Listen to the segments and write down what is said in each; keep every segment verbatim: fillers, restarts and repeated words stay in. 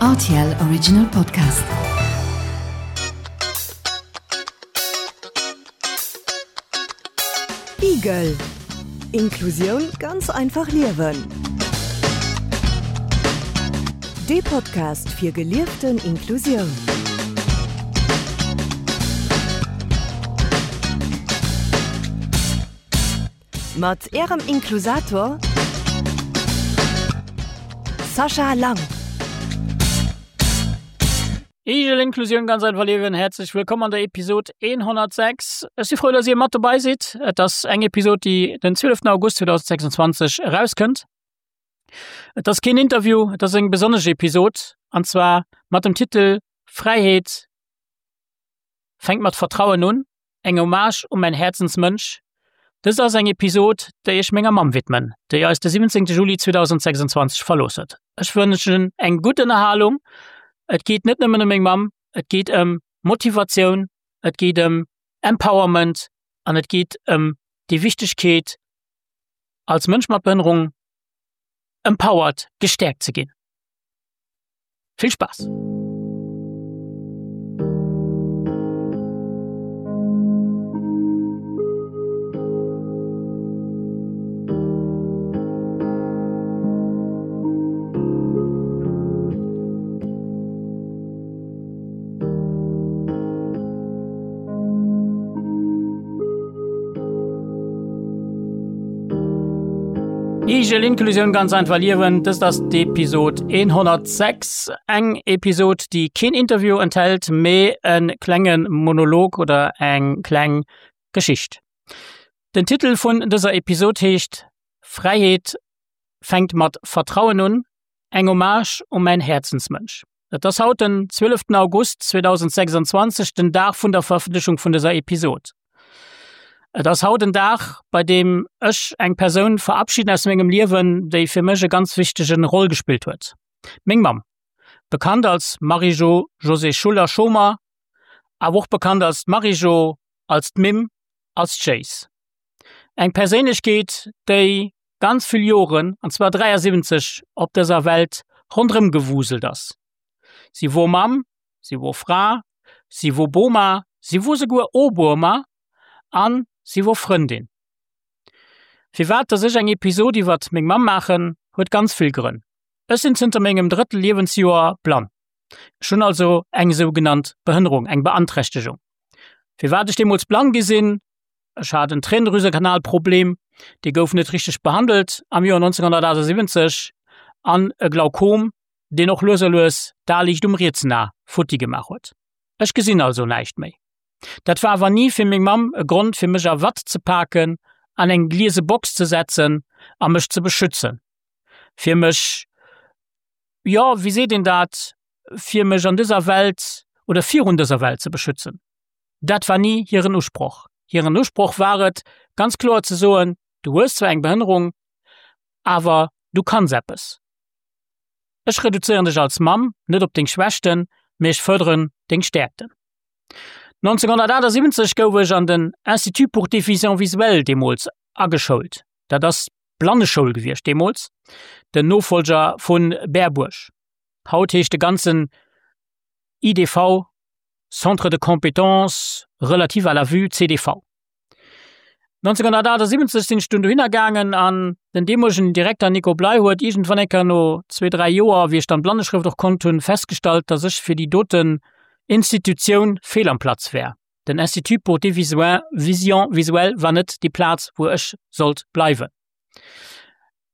R T L Original Podcast. Igel. Inklusioun ganz einfach liewen. De Podcast fir gelieften Inklusioun. Mat Ärem Inklusator Sascha Lang. Igel Inklusioun ganz einfach liewen, häerzlech wëllkomm an der Episod hunnertsechs. Ech si frou, dass Dir mat dobäi sidd. Et ass eng Episod, déi den zwieleften August zweedausendsechsundzwanzeg erauskënnt. Et ass keen Interview, et ass eng besonnesch Episod, an zwar mat dem Titel Fräiheet fänkt mat Vertrauen un, eng Hommage un mäin Häerzensmënsch. Dëst ass eng Episod, déi ech menger Mamm widmen, déi eis de siwwenzéngte Juli zweedausendsechsundzwanzeg verlooss huet. Ech wënschen eng gutt Ënnerhalung. Et geet net nëmmen ëm meng Mamm, et geet ëm Motivatioun, et geet ëm Empowerment an et geet ëm déi Wichtegkeet, als Mënsch mat Behënnerung empowered, gestäerkt ze ginn. Vill Spaass! Igel Inklusioun ganz einfach liewen, dëst ass d'Episod hunnertsechs, eng Episod déi keen Interview enthält, mee e klenge Monolog oder eng kleng Geschicht. Den Titel vun dëser Episod heescht Fräiheet fänkt mat Vertrauen un, eng Hommage u mäin Häerzensmënsch. Et ass haut den zwieleften August zweedausendsechsundzwanzeg, den Dag vun der Verëffentlechung vun dëser Episod. Et ass haut en Dag, bei deem ech eng Persoun verabschiden aus mengem Liewen, déi fir mech e ganz wichtegen Roll gespillt huet, meng Mamm, bekannt als Marie-Jo Josée Schuller-Schomer, awer och bekannt als d'Marie-Jo, als d'Mimm, als d'Jéis. Eng Perséinlechkeet, déi ganz vill Joren, an zwar dräiasiwwenzeg, op dëser Welt ronderëm gewuselt ass. Si wor Mamm, si wor Fra, si wor Boma, si wor souguer Obuerma an si wor Frëndin. Firwat dass ech eng Episod iwwert meng Mamm maachen, huet ganz vill Grënn. Ech sinn zënter mengem drëtte Liewensjoer blann. Ech hunn also eng sougenannt Behënnerung, eng Beanträchtegung. Firwat ech deemools blann gi sinn? Ech hat en Tränendrüsekanalproblem, dee gouf net richteg behandelt am Joer nonzénghunnertachtasiwwenzeg, an e Glaukom, deen och lues a lues d'A liicht um rietsen A futti gemaach huet. Ech gesinn also näischt méi. Dat war awer ni fir meng Mamm e Grond fir mech a Watt ze paken, an eng gliese Box ze setzen a mech ze beschützen, fir mech, jo, wéi seet een dat, fir mech an dëser Welt oder virun dëser Welt ze beschützen. Dat war ni hiren Usproch. Hiren Usproch war et, ganz kloer ze soen, Du hues zwar eng Behënnerung, awer du kanns eppes. Ech reduzéieren dech als Mamm net op deng Schwächten, mee ech fërderen deng Stäerkten. nonzénghunnertachtasiwwenzeg gouf ech an den Institut pour déficients visuels deemools ageschoult. Dat ass d'Blanneschoul gewiescht deemools, den Nofollger vu Berbuerg. Haut heescht de ganzen I D V Centre de compétences relatives à la vue, C D V. nonzénghunnertachtasiwwenzeg sinn ech dunn dohinner gaangen an den deemolegen Direkter Nico Bley huet iergendwann eng Kéier no zwee, dräi Joer, wéi ech dann d'Blanneschrëft och konnt hunn, festgestallt, dass ech fir déi doten Institutioun fehl am Platz wär. Den Institut pour déficients visuels war net déi Plaz, wou ech sollt bleiwen.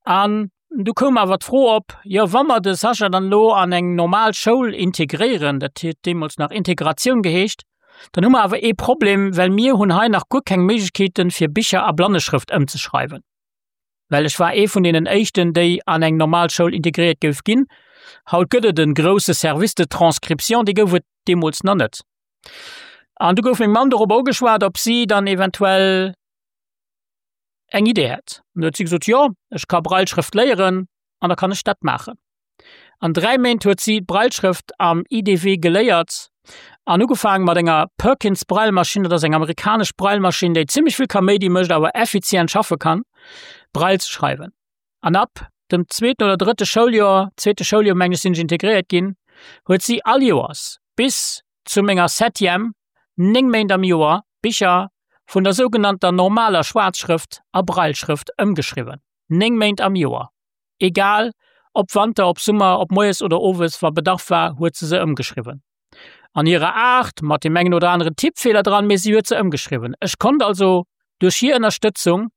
An du koum awer d'Fro op, jo wa mer de Sascha dann elo an eng normal Schoul integréieren, dat huet deemools nach Integratioun geheescht, dann hu mer awer ee Problem, well mir hunn hei nach guer keng Méiglechkeeten, fir Bicher a Blanneschrëft ëmzeschreiwen. Well ech war ee vun deenen éischten, déi an eng normal Schoul integréiert gouf ginn. Haut gëtt et e grousse Service de transcription, dee gouf et deemools nach net. An du gouf meng Mamm dorop ugeschwat, ob si dann eventuell eng Idee hätt. An du huet si gesot, jo, ech ka Brailleschrëft léieren an da kann ech dat maachen. An dräi Méint huet si d'Brailleschrëft am I D W geléiert an ugefaangen mat enger Perkins Braillemaschinn, dat ass eng amerikanesch Braillemaschinn, déi zimmlech vill Kaméidi mécht, awer effizient schaffe kann, Braille ze schreiwen. An ab dem zweeten oder drëtte Schouljoer, zweete Schouljoer meng ech, sinn ech integréiert ginn, huet si all Joers bis zu menger Septième, néng Méint am Joer, Bicher vun der sougenannter normaler Schwaarzschrëft a Brailleschrëft ëmgeschriwwen. Néng Méint am Joer. Egal ob Wanter, ob Summer, ob moies oder owes, wa Bedarf war, huet se se ëmgeschriwwen. An hirer Aart, mat deem engen oder aneren Tippfeeler dran, mee si huet se ëmgeschriwwen. Ech konnt also duerch hir Ënnerstëtzung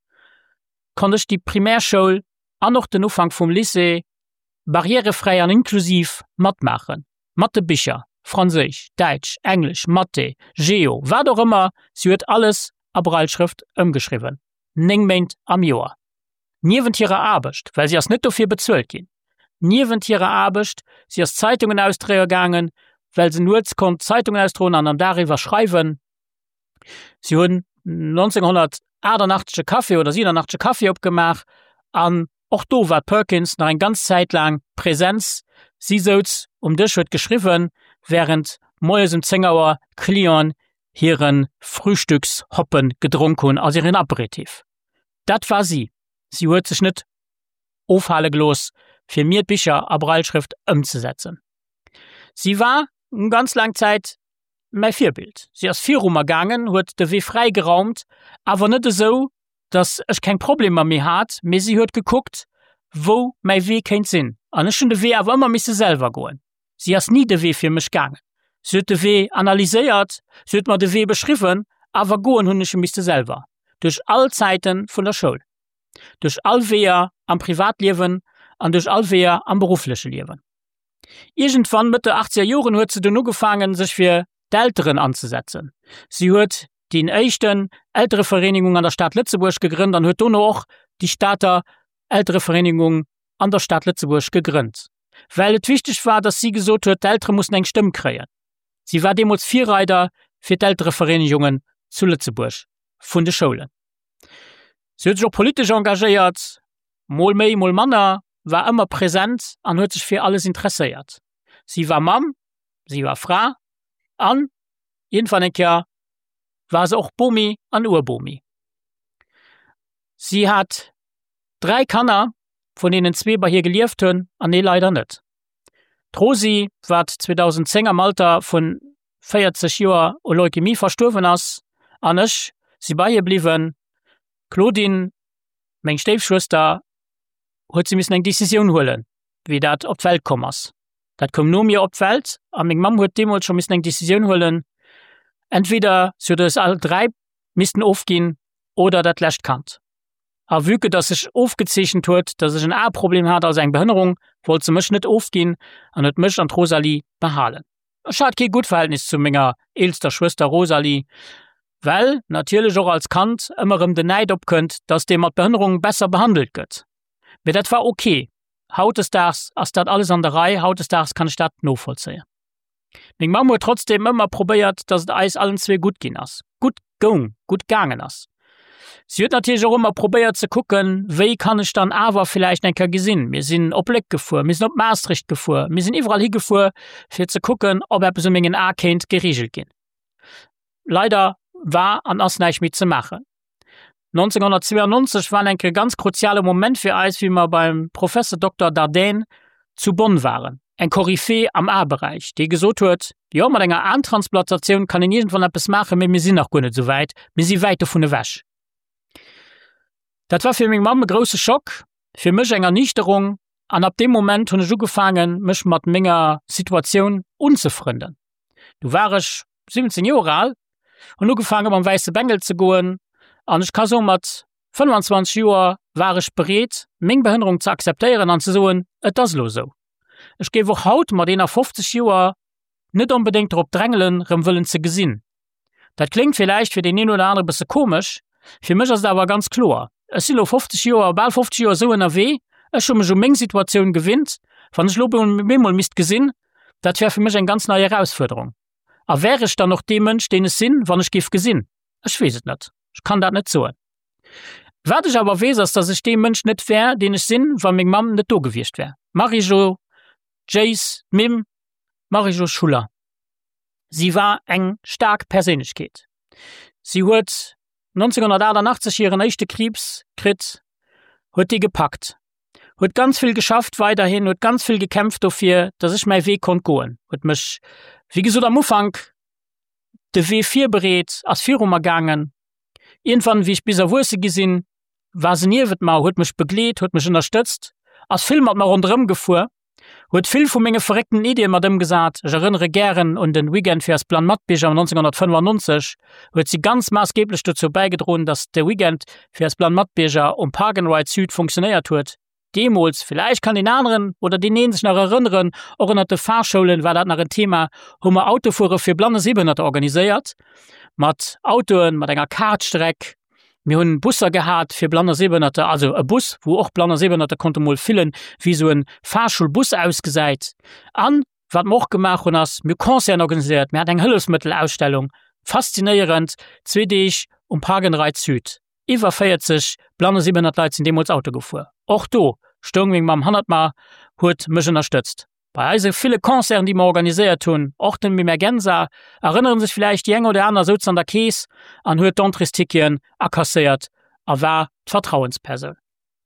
konnt ech déi Primärschoul an och den Ufank vum Lycée barrièrefräi an inklusiv matmaachen, mat de Bicher, Franséisch, Däitsch, Englesch, Mathé, Geo, wat och ëmmer, si huet alles a Brailleschrëft ëmgeschriwwen, néng Méint am Joer. Niewent hirer Aarbecht, well si ass net dofir bezuelt ginn, niewent hirer Aarbecht, si ass Zeitungen ausdréie gaangen, well se nuets konnt Zeitungen ausdroen an am Dag iwwer schreiwen. Si hunn nonzénghonnertaachtenachtzeg e Café oder siwenachtzeg e Café opgemaach an och do war d'Perkins nach eng ganz Zäit laang Präsenz. Si souz um Dësch, huet geschriwwen, wärend moies um zéng Auer d'Clienten hire Frühstückshoppen gedronk hunn, also hiren Aperitif. Dat war si. Si huet sech net ofhale gelooss, fir mir d'Bicher a Brailleschrëft ëmzesetzen. Si war ganz laang Zäit mäi Virbild. Si ass viru mer gaangen, huet de Wee fräi geraumt, awer net esou, datt ech keng Problemer méi hat, mee si huet gekuckt, wou mäi Wee kéint sinn. An ech hunn de Wee awer ëmmer misse selwer goen. Si ass ni de Wee fir mech gaangen. Si huet de Wee analyséiert, si huet mer de Wee beschriwwen, awer goen hunn ech e misste selwer. Duerch all Zäite vun der Schoul, duerch all Weeër am Privatliewen an duerch all Weeër am beruffleche Liewen. Iergendwann Mëtt der achtzeger Joren huet se dunn ugefaangen, sech fir d'Elteren anzesetzen. Si huet déi éischten Elterevereenegung an der Stad Lëtzebuerg gegrënnt an huet dono och déi Stater Elterevereenegung an der Stad Lëtzebuerg gegrënnt, well et wichteg war, dass si gesot huet, d'Eltere mussen eng Stëmm kréien. Si war deemools Virreider fir d'Elterevereenegungen zu Lëtzebuerg vun de Schoulen. Si huet sech och politesch engagéiert, mol méi, mol manner, war ëmmer present an huet sech fir alles interesséiert. Si war Mamm, si war Fra an iergendwann eng Kéier war se och Bomi an Urbomi. Si hat dräi Kanner, vun deenen zwee bei hir gelieft hunn an ee leider net. D'Rosi, wat zweedausendzéng am Alter vun véierzeg Joer u Leukemie verstuerwen ass, an ech si bei hir bliwwen. D'Claudine, meng Stéifschwëster, huet si missen eng Decisioun huelen, wéi dat op d'Welt komm ass. Dat koum no mir op d'Welt a meng Mamm huet deemools scho missen eng Decisioun huelen, entweder si huet eis all dräi missten ofginn oder dat lescht Kand. A vue que dass sech ofgezeechent huet, dass ech en Aeproblem hat, also eng Behënnerung, wollt se mech net ofginn an huet mech an d'Rosalie behalen. Ech hat kee gutt Verhältnis zu menger eelster Schwëster Rosalie, well natierlech och als Kand ëmmer erëm den Näid opkënnt, dass dee mat Behënnerung besser behandelt gëtt. Mee dat war ok. Hautdesdaags ass dat alles an der Rei, hautdesdaags kann ech dat novollzéien. Meng Mamm huet trotzdeem ëmmer probéiert, dass et eis allen zwee gutt ginn ass, gutt goung, gutt gaangen ass. Si huet natierlech och ëmmer probéiert ze kucken, wéi kann ech dann awer villäicht eng Kéier gesinn. Mir sinn op Léck gefuer, mir sinn op Maastricht gefuer, mir sinn iwwerall higefuer, fir ze kucken, ob eppes u mengen Ae kéint gereegelt ginn. Leider war an ass näischt méi ze maachen. nonzénghonnertzweeanonzeg war eng Kéier e ganz kruziale Moment fir eis, wéi mer beim Professor Dokter Dardenne zu Bonn waren, eng Koryphée am Aeberäich, dee gesot huet, Jo, mat enger Aentransplantatioun kann een iergendwann eppes maachen, mee mir sinn nach guer net esou wäit, mir si wäit dovun ewech. Dat war fir meng Mamm e grousse Schock, fir mech eng Erniichterung an ab deem Moment hunn ech ugefaangen, mech mat menger Situatioun unzefrënden. Du war ech siwwenzéng Joer al, hunn ugefaange mam wäisse Bengel ze goen an ech ka soen, mat fënnfanzwanzeg Joer war ech bereet, meng Behënnerung ze akzeptéieren an ze soen, et ass elo esou. Ech géif och haut mat eenafofzeg Joer net onbedéngt drop drängelen, rëm wëllen ze gesinn. Dat kléngt villäicht fir deen een oder anere bësse komesch, fir mech ass et awer ganz kloer. Ech sinn elo fofzeg Joer, bal fofzeg Joer esou ënnerwee, ech hu mech u meng Situatioun gewinnt. Wann ech elo bemol misst gesinn, dat wär fir mech eng ganz nei Erausfuerderung. A wär ech dann och dee Mënsch, deen ech sinn, wann ech géif gesinn? Ech weess et net. Ech kann dat net soen. Wat ech awer weess, ass, datt ech dee Mënsch net wär, deen ech sinn, wa meng Mamm net do gewiescht wär. D'Marie-Jo, d'Jéis, d'Mimm, d'Marie-Jo Schuller. Si war eng staark Perséinlechkeet. Si huet nonzénghonnertaachtenachtzeg hiren éischte Kriibs kritt, huet dee gepackt, Huet ganz vill geschafft weiderhin, huet ganz vill gekämpft dofir, dass ech mäi Wee konnt goen. Huet mech, wéi gesot am Ufank, de Wee virbereet, ass viru mer gaangen. Iergendwann, wéi ech bis erwuesse gi sinn, war se niewent mer, huet mech begleet, huet mech ënnerstëtzt, ass vill mat mer ronderëm gefuer, huet vill vu menge verréckten Iddie mat ëmgesat. Ech erënnere gären un de Weekend fir eis blann Matbierger nonzénghonnertfënnefannonzeg, huet si ganz maassgeeblech dozou bäigedroen, dass de Weekend fir eis blann Matbierger um Park and Ride Sud funktionéiert huet. Deemools, villäicht kann deen aneren oder deen een sech nach erënneren, och ënnert de Fahrschoulen war dat nach en Thema, hu mer Autofuere fir Blann a Sehbehënnerter organiséiert, mat Autoen, mat enger Kartstreck. Mir hunn Busser gehat fir Blann a Sehbehënnerter, also e Bus, wou och Blann a Sehbehënnerter konnte mol fillen, wéi esou e Fahrschulbus ausgesäit. An wat mer och gemaach hunn ass, mir hu Concerten organiséiert, mir haten eng Hëllefsmëttelausstellung, faszinéierend, zwee Deeg um Park and Ride Sud. Iwwer véierzeg blann a sehbehënnert Leit sinn deemools Auto gefuer. Och do stoung meng Mamm hannert mer, huet mech ënnerstëtzt. Bei eise ville Concerten, déi mer organiséiert hunn, och dem Emergenza, erënnere sech villäicht déi eng oder aner, souz an der Keess an huet d'Entréesticketen akasséiert a war d'Vertrauenspersoun.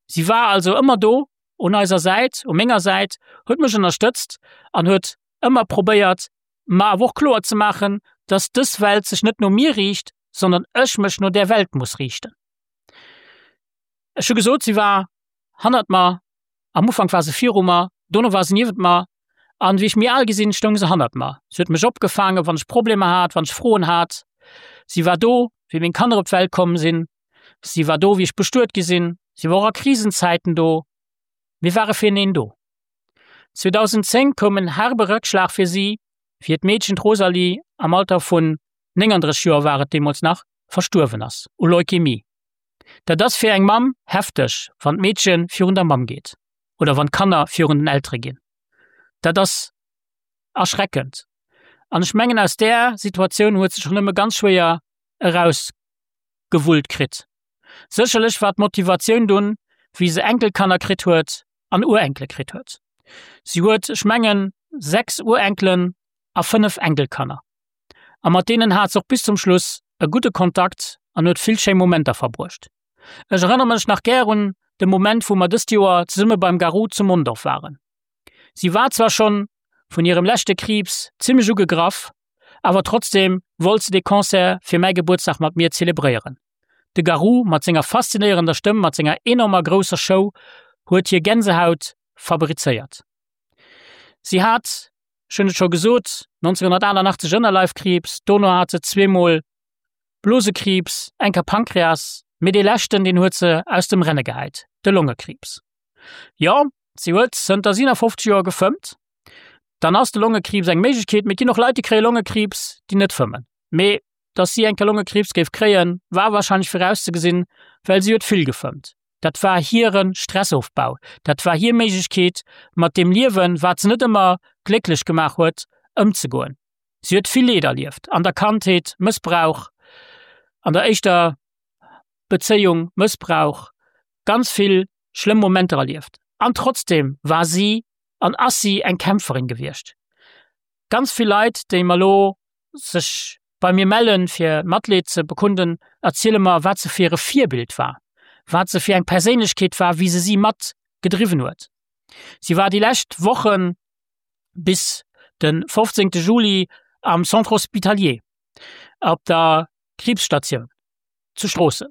Si war also ëmmer do un eiser Säit, u menger Säit, huet mech ënnerstëtzt an huet ëmmer probéiert, mer awer och kloer ze maachen, dass dës Welt sech net no mir riicht, sondern ech mech no där Welt muss riichten. Ech hu gesot, si war hannert mer, am Ufank war se viru mer, dono war se niewent mer an wéi ech méi al gi sinn, stoung se hannert mer. Si huet mech opgefaangen, wann ech Problemer hat, wann ech Froen hat. Si war do, wéi meng Kanner op d'Welt komm sinn. Si war do, wéi ech bestuet gi sinn. Si war och a Krisenzäiten do. Mir ware fireneen do. zweedausendzéng koum en herbe Rëckschlag fir si, wéi hiert Meedchen, d'Rosalie, am Alter vun néngandrësseg Joer war et deemools nach, verstuerwen ass u Leukämie. Dat ass fir eng Mamm hefteg, wann d'Meedche virun der Mamm geet oder wann d'Kanner virun den Eltere ginn. Dat ass erschreckend. An ech mengen, aus där Situatioun huet se sech och nëmme ganz schwéier erausgewullt kritt. Sécherlech war d'Motivatioun dunn, wéi se Enkelkanner kritt huet an Urenkele kritt huet. Si huet, ech mengen, sechs Urenkelen a fënnef Enkelkanner. A mat deenen hat se och bis zum Schluss e gudde Kontakt an huet vill schéi Momenter verbruecht. Ech erënnere mech nach gär un de Moment, wou mer dëst Joer zesumme beim Garou zu Mondorf waren. Si war zwar schonn vun hirem leschte Kriibs zimmlech ugegraff, awer trotzdeem wollt se dee Concert fir mäi Gebuertsdag mat mir zelebréieren. De Garou mat senger faszinéierender Stëmm, mat senger enormer grousser Show huet hir Gänsehaut fabrizéiert. Si hat, ech hunn et scho gesot, nonzénghonnertaachtanachtzeg Ënnerleifkriibs, dono hat se zweemol Blosekriibs, eng Kéier Pankreas, mee dee leschten, deen huet se aus dem Renne gehäit, de Longekriibs. Jo, si huet zënter siewenafofzeg Joer gefëmmt. Dann ass de Longekriibs eng Méiglechkeet, mee et ginn och Leit, déi kréie Longekriibs, déi net fëmmen. Mee dass si eng Kéier Longekriibs géif kréien, war warscheinlech virauszegesinn, well si huet vill gefëmmt. Dat war hire Stressofbau, dat war hir Méiglechkeet, mat deem Liewen, wat se net ëmmer glécklech gemaach huet, ëmzegoen. Si huet vill Leed erlieft, an der Kandheet, Mëssbrauch, an der éischter Bezéiung, Mëssbrauch, ganz vill schlëmm Momenter erlieft. An trotzdeem war si an ass si eng Kämpferin gewiescht. Ganz vill Leit, déi mer elo sech bei mir mellen, fir Matleed ze bekunden, erziele mer, wat se fir e Virbild war, wat se fir eng Perséinlechkeet war, wéi se si mat gedriwwen huet. Si war déi lescht Wochen bis de fofzéngte Juli am Centre Hospitalier op der Kriibsstatioun zu Stroossen.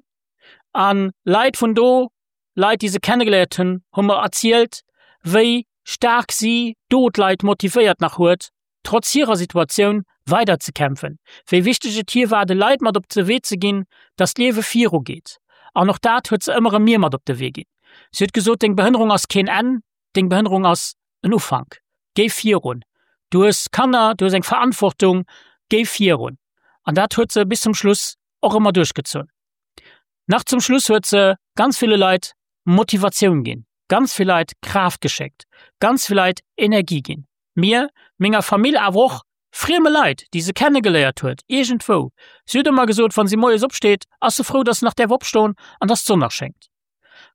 A Leit vun do, Leit, déi se kennegeléiert hunn, hu mer erzielt, wéi staark si do d'Leit motivéiert nach huet, trotz hirer Situatioun weider ze kämpfen, wéi wichteg et hir war, de Leit mat op de Wee ze ginn, dass d'Liewe viru geet. An och dat huet se ëmmer erëm mir mat op de Wee ginn. Si huet gesot, Deng Behënnerung ass keen Enn, deng Behënnerung ass en Ufank. Géi virun. Du hues Kanner, du hues eng Verantwortung, géi virun. An dat huet se bis zum Schluss och ëmmer duerchgezunn. Nach zum Schluss huet se ganz ville Leit Motivatioun ginn, ganz vill Leit Kraaft geschéckt, ganz vill Leit Energie ginn. Mir, menger Famill, awer och frieme Leit, déi se kennegeléiert huet iergendwou. Si huet ëmmer gesot, wann si moies opsteet, ass se frou, dass se nach däerf opstoen an dass d'Sonn nach schéngt.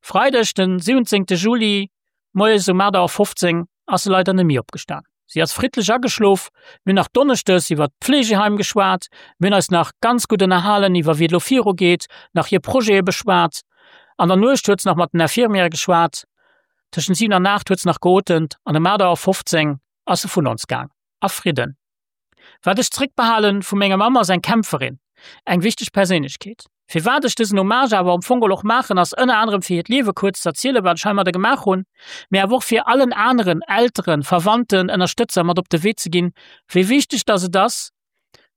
Freideg den siwwenzéngte Juli moies um aacht Auer fofzéng ass se leider net méi opgestan. Si ass friddlech ageschlof. Mir hunn nach donneschdes iwwer d'Pflegeheim geschwat. Mir hunn eis nach ganz gutt ënnerhalen iwwer wéi et elo viru geet, nach hir Projete beschwat. An der Nuecht huet se nach mat den Infirmièrë geschwat. Tëschent siwen an aacht huet se nach geotemt an ëm aacht Auer fofzéng ass se vun ons gaang. A Fridden. Wat ech zréckbehalen vu menger Mamm ass eng Kämpferin, eng wichteg Perséinlechkeet. Firwat ech dësen Hommage awer am Fong och maachen, ass ënner anerem fir hiert Liewe kuerz z'erzielen, wat ech heimadder gemaach hunn, mee awer och fir allen aneren Elteren, Verwandten, Ënnerstëtzer mat op de Wee ze ginn, wéi wichteg dass et ass,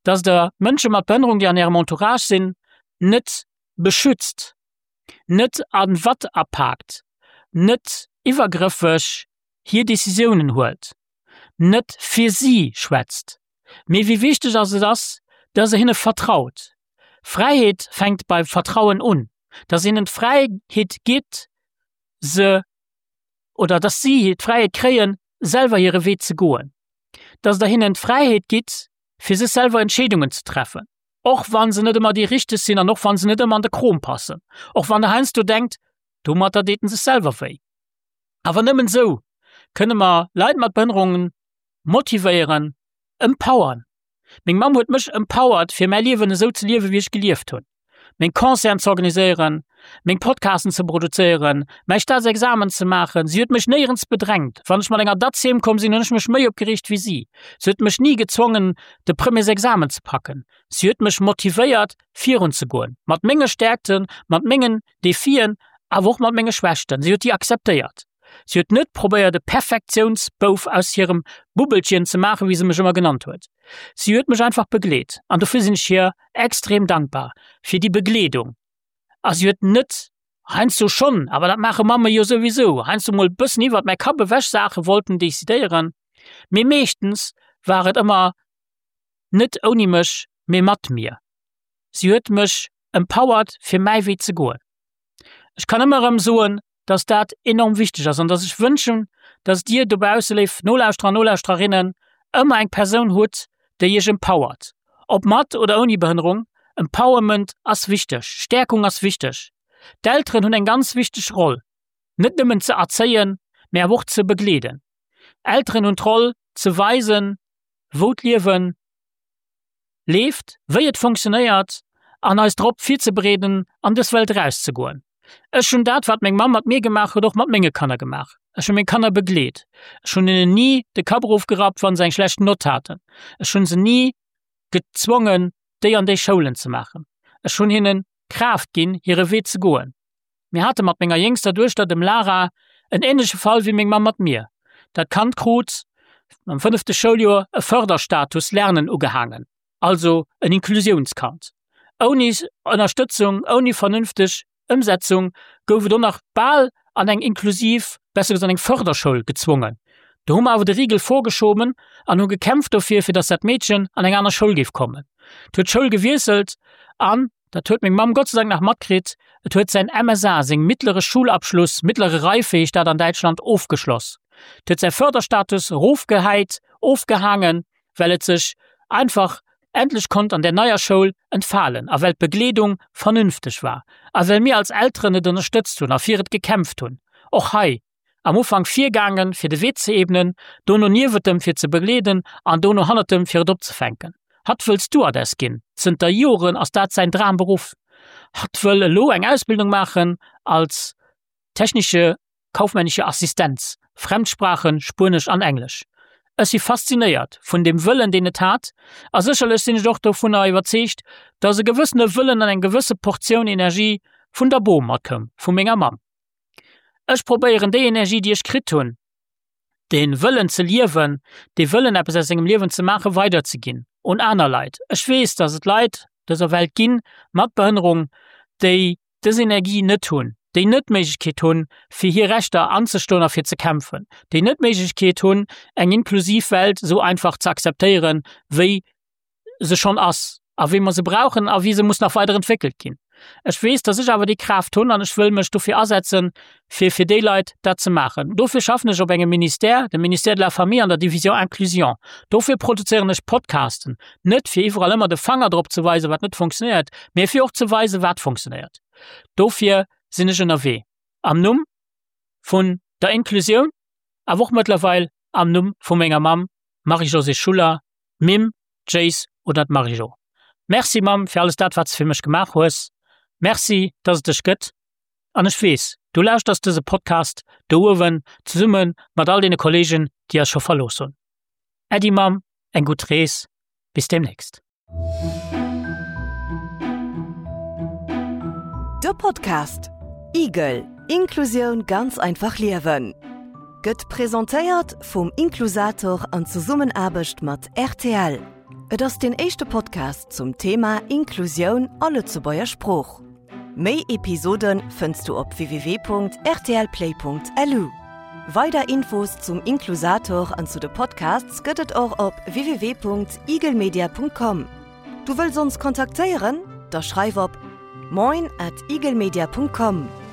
dass der Mënsche mat Behënnerung, déi an ärem Entourage sinn, net beschützt, net a Watt apaakt, net iwwergrëffeg hir Decisiounen huelt, net fir si schwätzt, mee wéi wichteg ass et ass, dass der hinne vertraut. Fräiheet fänkt beim Vertrauen un, dass hinnen d'Fräiheet gitt, se oder dass si d'Fräiheet kréien, selwer hire Wee ze goen, dass der hinnen d'Fräiheet gitt, fir sech selwer Entscheedungen ze treffen, och wa se net ëmmer déi richteg sinn an och wa se net ëmmer an de Krom passen, och wann der heiansdo denkt, domatter deet en sech selwer wéi. Awer nëmmen esou kënne mer Leit mat Behënnerungen motivéieren, empowern. Meng Mamm huet mech empowered, fir mäi Liewen esou ze liewen, wéi ech gelieft hunn. Meng Concerten ze organiséieren, meng Podcasten ze produzéieren, mäi Staatsexamen ze maachen. Si huet mech néierens bedrängt. Wann ech mat enger Datz heem komm sinn, hunn ech mech méi opgereegt wéi si. Si huet mech ni gezwongen, de Premiersexamen ze packen. Si huet mech motivéiert, virun ze goen. Mat menge Stäerkten, mat mengen Defien, awer och mat menge Schwächten. Si huet déi akzeptéiert. Si huet net probéiert, e Perfektiounsbouf aus hirem Bubbelchen ze maachen, wéi se mech ëmmer genannt huet. Si huet mech einfach begleet an dofir sinn ech hir extrem dankbar fir déi Begleedung. A si huet net, heiansdo schonn, awer dat maache Mamme jo souwisou, heiansdo mol e bëssen iwwert mäi Kapp ewech Saache wollten decidéieren, mee meeschtens war et ëmmer net ouni mech, mee mat mir. Si huet mech empowered fir mäi Wee ze goen. Ech kann ëmmer erëm soen, dass dat enorm wichteg ass an dass ech wënschen, dass dir dobausse, léif Nolauschterer an Nolauschtererinnen, ëmmer eng Persoun hutt, déi iech empowert. Ob mat oder ouni Behënnerung, Empowerment ass wichteg, Stäerkung ass wichteg. D'Elteren hunn eng ganz wichteg Roll, net nëmmen ze erzéien, mä awer och ze begleeden. Elteren hunn d'Roll ze weisen, wou d'Liewen leeft, wéi et funktionéiert an eis drop virzebereeden, an dës Welt erauszegoen. Ech hunn dat, wat meng Mamm mat mir gemaach huet, och mat menge Kanner gemaach. Ech hu meng Kanner begleet. Ech hunn hinnen ni de Kapp erofgerappt, wa se eng schlecht Nott haten. Ech hu se ni gezwongen, déi an déi Schoulen ze maachen. Ech hunn hinnen Kraaft ginn, hire Wee ze goen. Mir hate mat menger jéngster Duechter, dem Lara, en änleche Fall wéi meng Mamm mat mir. Dat Kand krut am fënnefte Schouljoer e Förderstatus Lernen ugehaangen, also en Inklusiounskand. Ouni Ënnerstëtzung, ouni vernünfteg Ëmsetzung gouf et och nach bal an eng inklusiv, besser gesot an eng Förderschoul gezwongen. Do hu mer awer de Rigel vorgeschoben an hu gekämpft dofir, fir dass dat Meedchen an eng aner Schoul géif kommen. Et huet d'Schoul gewiesselt an, dat huet meng Mamm Gott sei Dank nach matkritt, et huet säin M S A, seng mittlere Schulabschluss, mittlere Reife heescht dat an Däitschland, ofgeschloss. Et huet säi Förderstatus erofgehäit, ofgehaangen, well et sech einfach endlech konnt an där neier Schoul entfalen a well d'Begleedung vernünfteg war a well mir als Elteren et ënnerstëtzt hunn a fir et gekämpft hunn. Och hei, am Ufank virgaangen, fir de Wee ze ebnen, dono niewent em, fir ze begleeden an dono hannert em, fir et opzefänken. Hatt wëll Stewardess ginn, zënter Joren ass dat säin Dramberuff. Hatt wëll elo eng Ausbildung maachen als technische kaufmännische Assistenz, Fremdsprachen, Spuenesch an Englesch. Ech si faszinéiert vun deem Wëllen, deen et hat, a sécherlech sinn ech och dovunner iwwerzeegt, dass e gewëssene Wëllen an eng gewësse Portioun Energie vun der Bom matkoum, vu menger Mamm. Ech probéieren déi Energie, déi ech kritt hunn, dee Wëllen ze liewen, dee Wëllen eppes aus sengem Liewen ze maachen, weiderzeginn un aner Leit. Ech weess, dass et Leit dëser Welt ginn, mat Behënnerung, déi dës Energie net hunn, déi net d'Méiglechkeet hunn, fir hir Rechter anzestoen a fir ze kämpfen, déi net d'Méiglechkeet hunn, eng inklusiv Welt esou einfach ze akzeptéieren, wéi se schonn ass a wéi mer se brauchen a wéi se muss nach weider entwéckelt ginn. Ech weess, dass ech awer déi Kraaft hunn an ech wëll mech dofir asetzen, fir fir déi Leit dat ze maachen. Dofir schaffen ech op engem Ministère, dem Ministère de la Famille an der Division Inclusion. Dofir produzéieren ech Podcasten, net fir iwwerall ëmmer de Fanger drop ze weisen, wat net funktionéiert, mee fir och ze weisen, wat funktionéiert. Dofir sinn ech ënnerwee. Am Numm vun der Inklusioun, awer och mëttlerweil am Numm vu menger Mamm Marie-Josée Schuller, d'Mimm, d'Jéis oder d'Marie-Jo. Merci Mamm fir alles dat wat s de fir mech gemaach hues. Merci dass et dech gëtt an ech weess Du lauschters dëse Podcast do uewen zesumme mat all deene Kolleegen, déi eis scho verlooss hunn. Äddi Mamm, eng gutt Rees, bis demnächst. De Podcast Igel, Inklusioun ganz einfach liewen gëtt presentéiert vum Inklusator an Zesummenaarbecht mat rtl. Et ass den éischte Podcast zum Thema Inklusioun a Lëtzebuerger Sprooch. Méi Episode fënns du op www.rtlplay.lu. Weider Infos zum Inklusator an zu de Podcasts gëtt et och op www.igelmedia.com. Du wëlls ons kontaktéieren? Da schreif op moin at igelmedia.com.